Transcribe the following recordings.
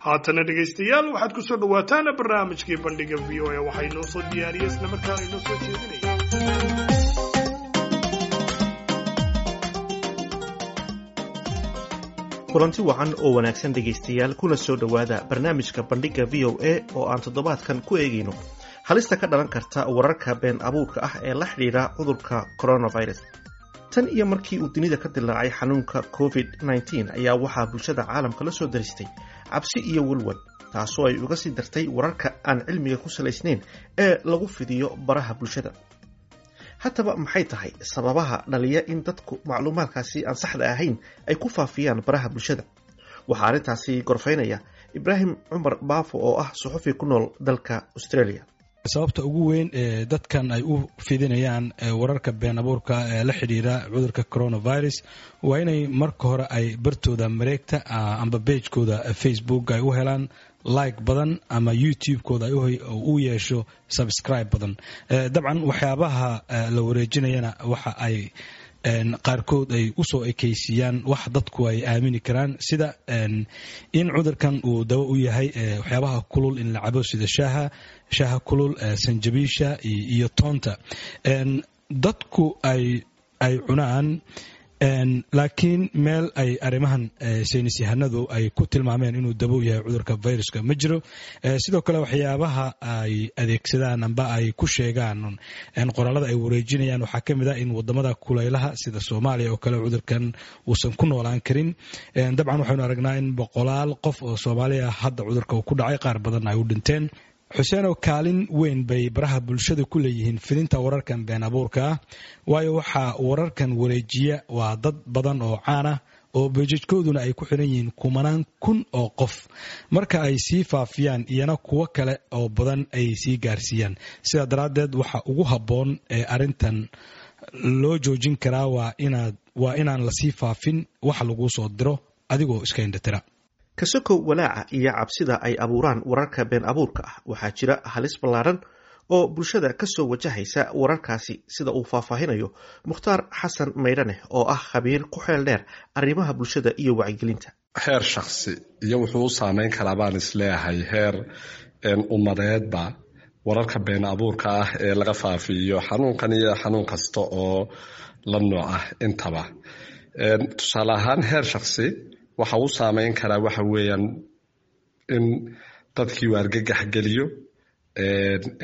Haatana, dhegaystayaal, waxaad ku soo dhowaataan barnaamijkii Bandhiga VOA. Waxaa inoo soo diyaariyey islamarkaana inoo soo jeedinaya Kulanti wacan oo wanaagsan, dhegaystayaal, kuna soo dhowaada barnaamijka Bandhigga VOA oo aan toddobaadkan ku eegayno halista ka dhalan karta wararka been abuurka ah ee la xidhiidha cudurka coronavirus. Tan iyo markii uu dunida ka dilaacay xanuunka COVID-19 ayaa waxaa bulshada caalamka la soo daristay cabsi iyo walwal, taasoo ay uga sii dartay wararka aan cilmiga ku salaysnayn ee lagu fidiyo baraha bulshada. Haddaba, maxay tahay sababaha dhaliya in dadku macluumaadkaasi aan saxda ahayn ay ku faafiyaan baraha bulshada? Waxaa arrintaasi gorfaynaya Ibraahim Cumar Baafo oo ah suxufi ku nool dalka Australia. Sababta ugu weyn ee dadkan ay u fidinayaan wararka been abuurka ee la xidhiira cudurka coronavirus waa inay marka hore ay bartooda mareegta amba page-kooda Facebook ay u helaan like badan ama YouTube-kooda u yeesho subscribe badan. Dabcan, waxyaabaha la wareejinayana waxa ay qaarkood ay usoo ekaysiiyaan wax dadku ay aamini karaan, sida in cudurkan uu dawo u yahay waxyaabaha kulul in la cabo, sida shaaha kulul, sanjabiisha iyo toonta dadku ay cunaan, laakiin meel ay arrimahan saynis yahanadu ay ku tilmaameen inuu dawo yahay cudurka viruska ma jiro. Sidoo kale, waxyaabaha ay adeegsadaan amba ay ku sheegaan qoraalada ay wareejinayaan waxaa ka mid ah in wadamada kulaylaha sida Soomaaliya oo kale cudurkan uusan ku noolaan karin. Dabcan, waxaynu aragnaa in boqolaal qof oo Soomaaliya hadda cudurka uu ku dhacay, qaar badan ay u dhinteen. Xuseenoo, kaalin weyn bay baraha bulshada ku leeyihiin fidinta wararkan been abuurka ah, waayo waxaa wararkan wareejiya waa dad badan oo caan ah oo pages-kooduna ay ku xiran yihiin kumanaan kun oo qof. Marka ay sii faafiyaan, iyana kuwo kale oo badan ay sii gaarsiiyaan. Sidaa daraaddeed, waxa ugu habboon ee arrintan loo joojin karaa waa inaan lasii faafin wax laguu soo diro adigoo iska indhatira. Kasokow walaaca iyo cabsida ay abuuraan wararka been abuurka ah, waxaa jira halis ballaaran oo bulshada kasoo wajahaysa wararkaasi, sida uu faahfaahinayo Mukhtaar Xasan Maydhaneh oo ah khabiir ku xeel dheer arrimaha bulshada iyo wacyigelinta. Heer shaksi iyo wuxuu u saameyn karaa baan isleeyahay heer ummadeedba wararka been abuurka ah ee laga faafiyo xanuunkan iyo xanuun kasta oo la nooc ah intaba. Tusaale ahaan, heer shaksi waxa uu saameyn karaa waxa weeyaan in dadkii uu argagax geliyo,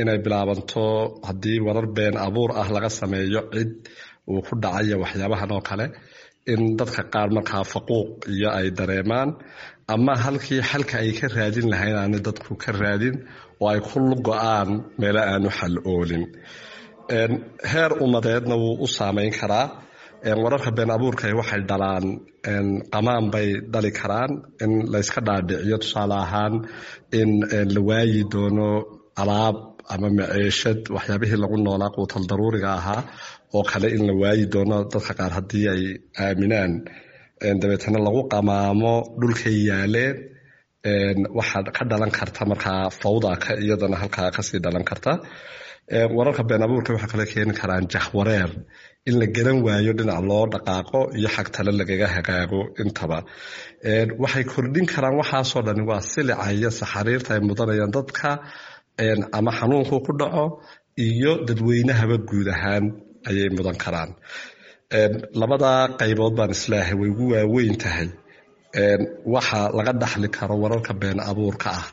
inay bilaabanto haddii warar been abuur ah laga sameeyo cid uu ku dhacayo waxyaabahan oo kale, in dadka qaar markaa faquuq iyo ay dareemaan, ama halkii xalka ay ka raadin lahayn aanay dadku ka raadin oo ay ku go-aan meelo aanu xal oolin. Heer ummadeedna wuu u saameyn karaa. Wararka been abuurka waxay dhalaan qamaan bay dhali karaan, in layska dhaadhiciyo, tusaale ahaan, in la waayi doono alaab ama maceeshad, waxyaabihii lagu noolaa, quutal daruuriga ahaa oo kale in la waayi doono dadka qaar haddii ay aaminaan, dabeetana lagu qamaamo dhulkay yaaleen. Waxaa ka dhalan karta markaa fawda ka iyadana halkaa kasii dhalan karta. Wararka been abuurka waxaa kale keeni karaan jahwareer, in la garan waayo dhinac loo dhaqaaqo iyo xag tale lagaga hagaago intaba. Waxay kordhin karaan waxaasoo dhani waa silica iyo saxariirta ay mudanayaan dadka ama xanuunku ku dhaco iyo dadweynahaba guud ahaan ayay mudan karaan. Labada qaybood baan isleeyahay way ugu waaweyn tahay waxa laga dhaxli karo wararka been abuurka ah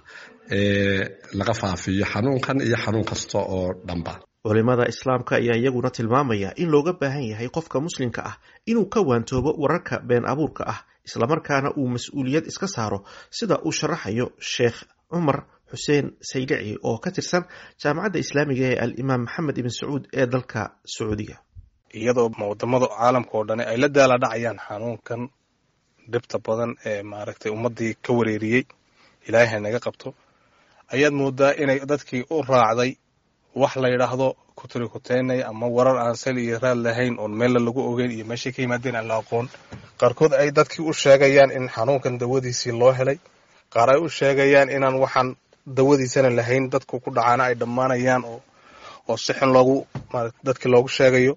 ee laga faafiyo xanuunkan iyo xanuun kasta oo dhanba. Culimada Islaamka ayaa iyaguna tilmaamaya in looga baahan yahay qofka Muslimka ah inuu ka waantoobo wararka been abuurka ah, islamarkaana uu mas-uuliyad iska saaro, sida uu sharaxayo Sheekh Cumar Xuseen Saylici oo ka tirsan Jaamacadda Islaamiga ee Al-Imaam Maxamed Ibn Sacuud ee dalka Sacuudiga. Iyadoo wadamada caalamka oo dhani ay la daala dhacayaan xanuunkan dhibta badan ee maaragtay ummaddii ka wareeriyey, Ilaahay ha naga qabto, ayaad moodaa inay dadkii u raacday wax la yidhaahdo kutirikuteenay ama warar aan sal iyo raad lahayn, oon meella lagu ogeyn iyo meeshay ka yimaadeen aan la aqoon. Qaarkood ay dadkii u sheegayaan in xanuunkan dawadiisii loo helay, qaar ay u sheegayaan inaan waxaan dawadiisana lahayn, dadku ku dhacaana ay dhammaanayaan, oo si xun loogu maarata dadkii loogu sheegayo,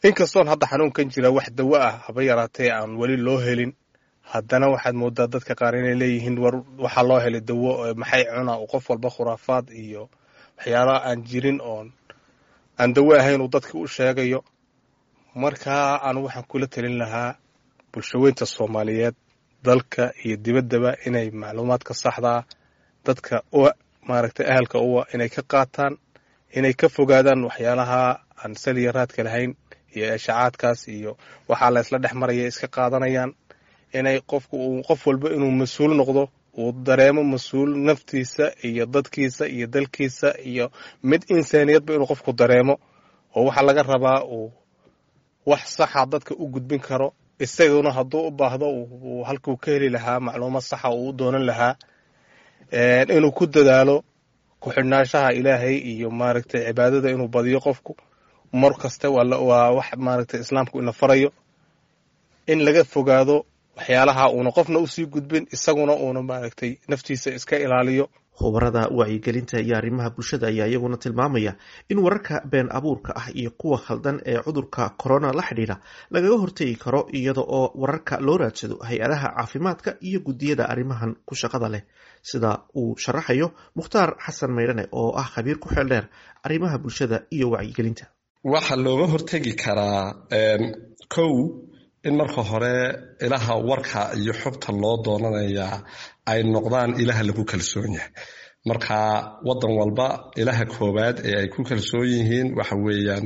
inkastoon hadda xanuunkan jira wax dawo ah haba yaraatee aan weli loo helin. Haddana waxaad moodaa dadka qaar inay leeyihiin war waxaa loo helay dawo, maxay cunaa, uu qof walba khuraafaad iyo waxyaalaha aan jirin oon aan dawo ahayn uu dadka u sheegayo. Markaa anu waxaan kula talin lahaa bulshaweynta Soomaaliyeed dalka iyo dibaddaba inay macluumaadka saxdaa dadka maaragtay ahalka uwa inay ka qaataan, inay ka fogaadaan waxyaalaha aan saliya raadka lahayn iyo eeshacaadkaas iyo waxaa la isla dhex maraya iska qaadanayaan, inay qofku uu qof walba inuu mas-uul noqdo, uu dareemo mas-uul naftiisa iyo dadkiisa iyo dalkiisa iyo mid insaaniyadba inuu qofku dareemo, oo waxaa laga rabaa uu wax saxa dadka u gudbin karo, isaguna hadduu u baahdo uu halkuu ka heli lahaa macluumaad saxa uu u doonan lahaa, inuu ku dadaalo ku-xidhnaanshaha Ilaahay iyo maaragtay cibaadada inuu badiyo qofku mar kasta, waa wax maaragtay Islaamku ina farayo, in laga fogaado waxyaalaha uuna qofna usii gudbin, isaguna uuna maaragtay naftiisa iska ilaaliyo. Khubarada wacyigelinta iyo arrimaha bulshada ayaa iyaguna tilmaamaya in wararka been abuurka ah iyo kuwa khaldan ee cudurka corona la xidhiidha lagaga hortegi karo iyada oo wararka loo raadsado hay-adaha caafimaadka iyo guddiyada arrimahan ku shaqada leh, sida uu sharaxayo Mukhtaar Xasan Maydhane oo ah khabiir ku xeel dheer arrimaha bulshada iyo wacyigelinta. Waxaa looga hortegi karaa kow in marka hore ilaha warka iyo xogta loo doonanayaa ay noqdaan ilaha lagu kalsoon yahay. Marka wadan walba ilaha koowaad ee ay ku kalsoon yihiin waxa weeyaan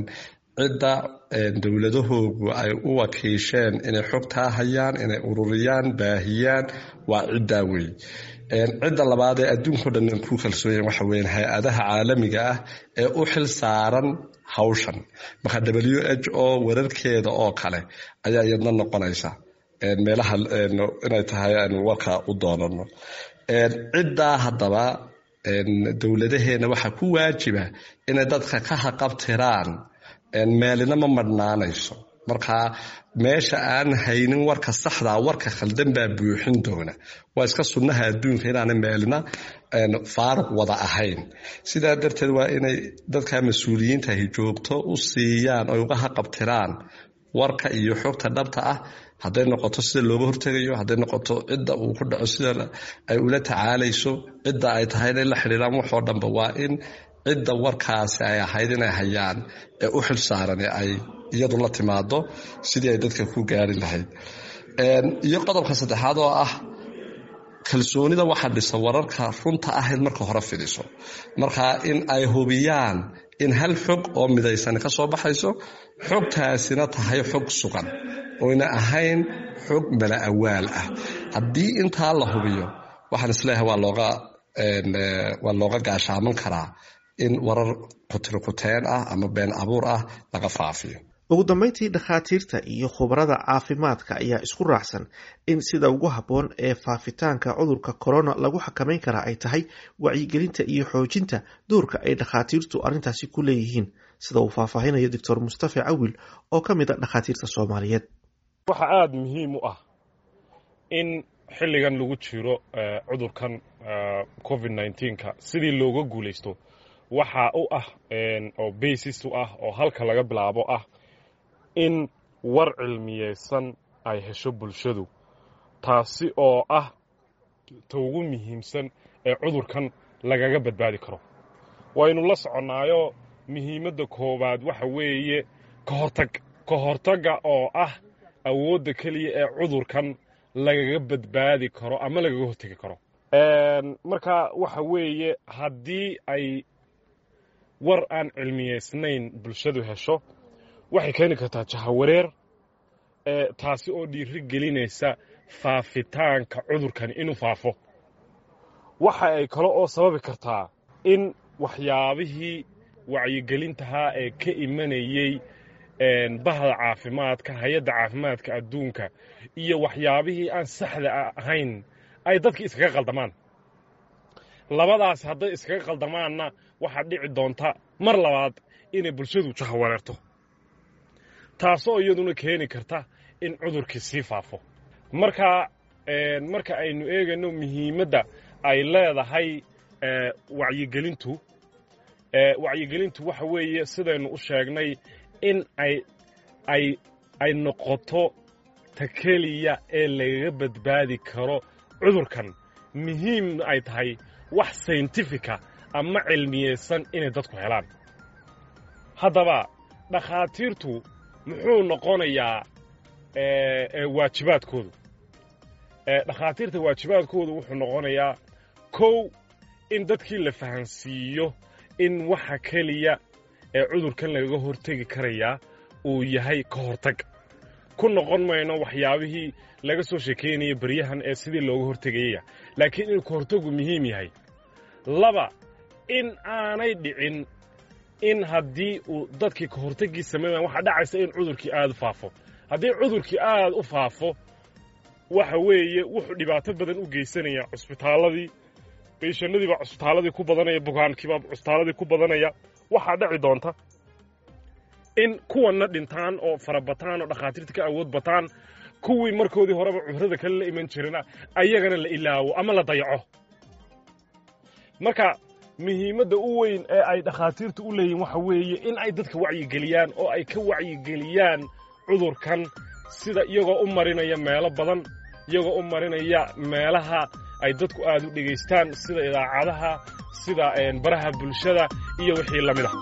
cidda dowladahoogu ay u wakiisheen inay xogtaa hayaan, inay ururiyaan, baahiyaan, waa ciddaa wey. Cidda labaad ee adduunko dhan ku kalsoon yahin waxa weeyaan hay-adaha caalamiga ah ee u xil saaran hawshan. Marka WHO wararkeeda oo kale ayaa iyadna noqonaysa meelaha inay tahay aanu warka u doonano. Ciddaa haddaba dowladaheena waxaa ku waajiba inay dadka ka haqabtiraan, meelina ma madhnaanayso. Marka meesha aan haynin warka saxdaa, warka khaldan baa buuxin doona. Waa iska sunnaha adduunka inaana meelina faaruq wada ahayn. Sidaa darteed waa inay dadka mas-uuliyiintahi joogto u siiyaan oy uga haqabtiraan warka iyo xogta dhabta ah, hadday noqoto sida looga hortegayo, hadday noqoto cidda uu ku dhaco sida ay ula tacaalayso, cidda ay tahay inay la xidhiiraan, waxoo dhanba waa in cidda warkaasi ay ahayd inay hayaan ee u xil saaran ee ay iyadu la timaado sidii ay dadka ku gaari lahayd. Iyo qodobka saddexaad oo ah kalsoonida waxa dhisa wararka runta ahayd marka hore fidiso. Marka in ay hubiyaan in hal xog oo midaysan ka soo baxayso, xogtaasina tahay xog sugan oyna ahayn xog mala awaal ah. Haddii intaa la hubiyo, waxaan isleeyahay waa looga gaashaaman karaa in warar kutirikuteen ah ama been abuur ah laga faafiyo. Ugu dambeyntii, dhakhaatiirta iyo khubarada caafimaadka ayaa isku raacsan in sida ugu habboon ee faafitaanka cudurka corona lagu xakameyn karaa ay tahay wacyigelinta iyo xoojinta doorka ay dhakhaatiirtu arrintaasi ku leeyihiin, sida uu faahfaahinayo Doctor Mustafa Cawil oo ka mid a dhakhaatiirta Soomaaliyeed. Waxaa aada muhiim u ah in xilligan lagu jiro cudurkan COVID 19-ka sidii looga guulaysto, waxaa u ah oo basis u ah oo halka laga bilaabo ah in war cilmiyeysan ay hesho bulshadu, taasi oo ah ta ugu muhiimsan ee cudurkan lagaga badbaadi karo. Waynu la soconnaayo, muhiimadda koowaad waxa weeye ka hortag, ka hortagga oo ah awoodda keliya ee cudurkan lagaga badbaadi karo ama lagaga hortegi karo. Marka waxa weeye haddii ay war aan cilmiyeysnayn bulshadu hesho, waxay keeni kartaa jahawareer, taasi oo dhiiri gelinaysa faafitaanka cudurkani inuu faafo. Waxa ay kale oo sababi kartaa in waxyaabihii wacyigelintahaa ee ka imanayey bahda caafimaadka, hay-adda caafimaadka adduunka, iyo waxyaabihii aan saxda ahayn ay dadki iskaga qaldamaan. Labadaas hadday iskaga qaldamaanna, waxaa dhici doonta mar labaad inay bulshadu jahawareerto, taasoo iyaduna keeni karta in cudurkii sii faafo. Marka marka aynu eegayno muhiimadda ay leedahay wacyigelintu, wacyigelintu waxa weeye sidaynu u sheegnay in ay ay ay noqoto Ta keliya ee lagaga badbaadi karo cudurkan, muhiim ay tahay wax scientific ah ama cilmiyeysan inay dadku helaan. Haddaba dhakhaatiirtu muxuu noqonayaa waajibaadkoodu? Dhakhaatiirta waajibaadkoodu wuxuu noqonayaa, kow, in dadkii la fahansiiyo in waxa keliya ee cudurkan lagaga hortegi karayaa uu yahay ka hortag. Ku noqon mayno waxyaabihii laga soo sheekeynaya beryahan ee sidii looga hortegayaya, laakiin inuu ka hortagu muhiim yahay. Laba, in aanay dhicin in haddii uu dadkii ka hortaggii samayn, waxaa dhacaysa in cudurkii aad u faafo. Haddii cudurkii aad u faafo, waxa weeye wuxuu dhibaato badan u geysanaya cusbitaalladii. Patientadii baa cusbitaalladii ku badanaya, bukaankiibaa cusbitaalladii ku badanaya. Waxaa dhici doonta in kuwanna dhintaan oo farabataan oo dhakhaatiirta ka awood bataan, kuwii markoodii horeba cudurrada kale la iman jirana ayagana la ilaawo ama la dayaco. Marka muhiimadda u weyn ee ay dhakhaatiirtu u leeyihin waxa weeye in ay dadka wacyigeliyaan oo ay ka wacyigeliyaan cudurkan, sida iyagoo u marinaya meelo badan, iyagoo u marinaya meelaha ay dadku aad u dhegaystaan, sida idaacadaha, sida baraha bulshada iyo wixii la mid ah.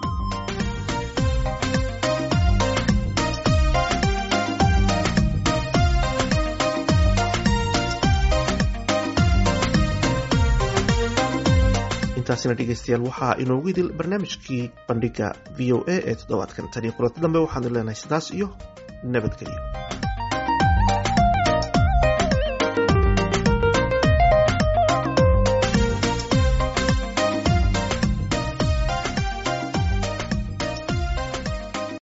Intaasina, dhegeystayaal, waxaa inoogu idil barnaamijkii Bandhiga VOA ee toddobaadkan. Tan iyo kulanti dambe, waxaanu leenahay sidaas iyo nabadgelyo.